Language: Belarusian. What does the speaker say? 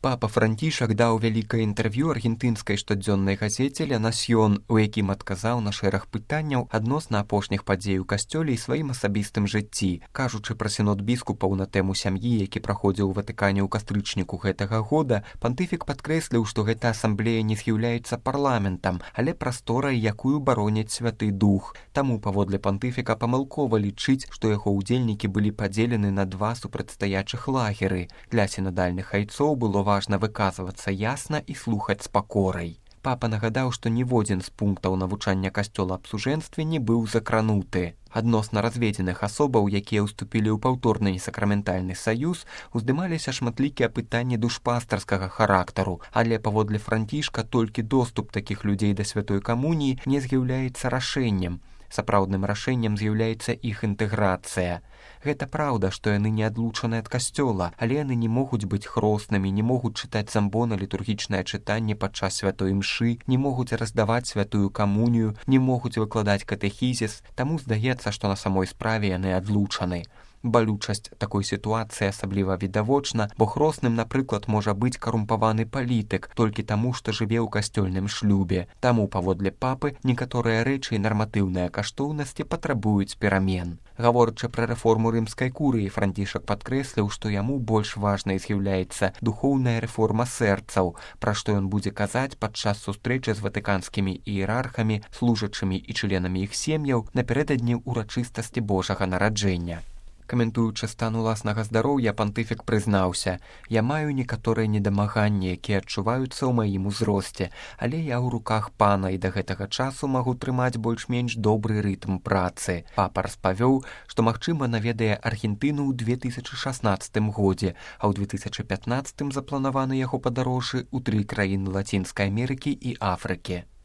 Папа Францішак даў вялікае інтэрв'ю аргентынскай штодзённай газеце «Ля Насьён», у якім адказаў на шэраг пытанняў адносна апошніх падзей у касцёле і сваім асабістым жыцці. Кажучы пра сінод біскупаў на тэму сям'і, які праходзіў у Ватыкане ў кастрычніку гэтага года, пантыфік падкрэсліў, што гэта асамблея не з'яўляецца парламентам, але прасторай, якую бароняць Святы Дух. Таму, паводле пантыфіка, памылкова лічыць, што яго ўдзельнікі былі падзелены на два супрацьстаячых лагеры. Для сінадальных айцоў было важна выказвацца ясна і слухаць з пакорай. Папа нагадаў, што ніводзін з пунктаў навучання касцёла аб сужэнстве не быў закрануты. Адносна разведзеных асобаў, якія ўступілі ў паўторны сакраментальны саюз, уздымаліся шматлікія пытанні душпастарскага характару, але паводле Францішка толькі доступ такіх людзей да святой камуніі не з'яўляецца рашэннем. Сапраўдным рашэннем з'яўляецца іх інтэграцыя. Гэта праўда, што яны не адлучаны ад касцёла, але яны не могуць быць хроснымі, не могуць чытаць замбона літургічнае чытанне падчас святой імшы, не могуць раздаваць святую камунію, не могуць выкладаць катэхізіс, таму здаецца, што на самой справе яны адлучаны. Балючасць такой сітуацыі асабліва відавочна, бо хросным, напрыклад, можа быць карумпаваны палітык толькі таму, што жыве ў касцёльным шлюбе. Таму, паводле папы, некаторыя рэчы і нарматыўныя каштоўнасці патрабуюць перамен. Гаворачы пра рэформу рымскай курыі, Францішак падкрэсліў, што яму больш важнай з'яўляецца духоўная рэформа сэрцаў, пра што ён будзе казаць падчас сустрэчы з ватыканскімі іерархамі, служачымі і членамі іх сем'яў напярэдадні ўрачыстасці Божага нараджэння. Каментуючы стан уласнага здароўя, пантыфік прызнаўся: «Я маю некаторыя недамаганні, якія адчуваюцца ў маім узросце, але я ў руках пана і да гэтага часу магу трымаць больш-менш добры рытм працы». Папа распавёў, што, магчыма, наведае Аргентыну ў 2016 годзе, а ў 2015 запланаваны яго падарожжы ў 3 краіны Лацінскай Амерыкі і Афрыкі.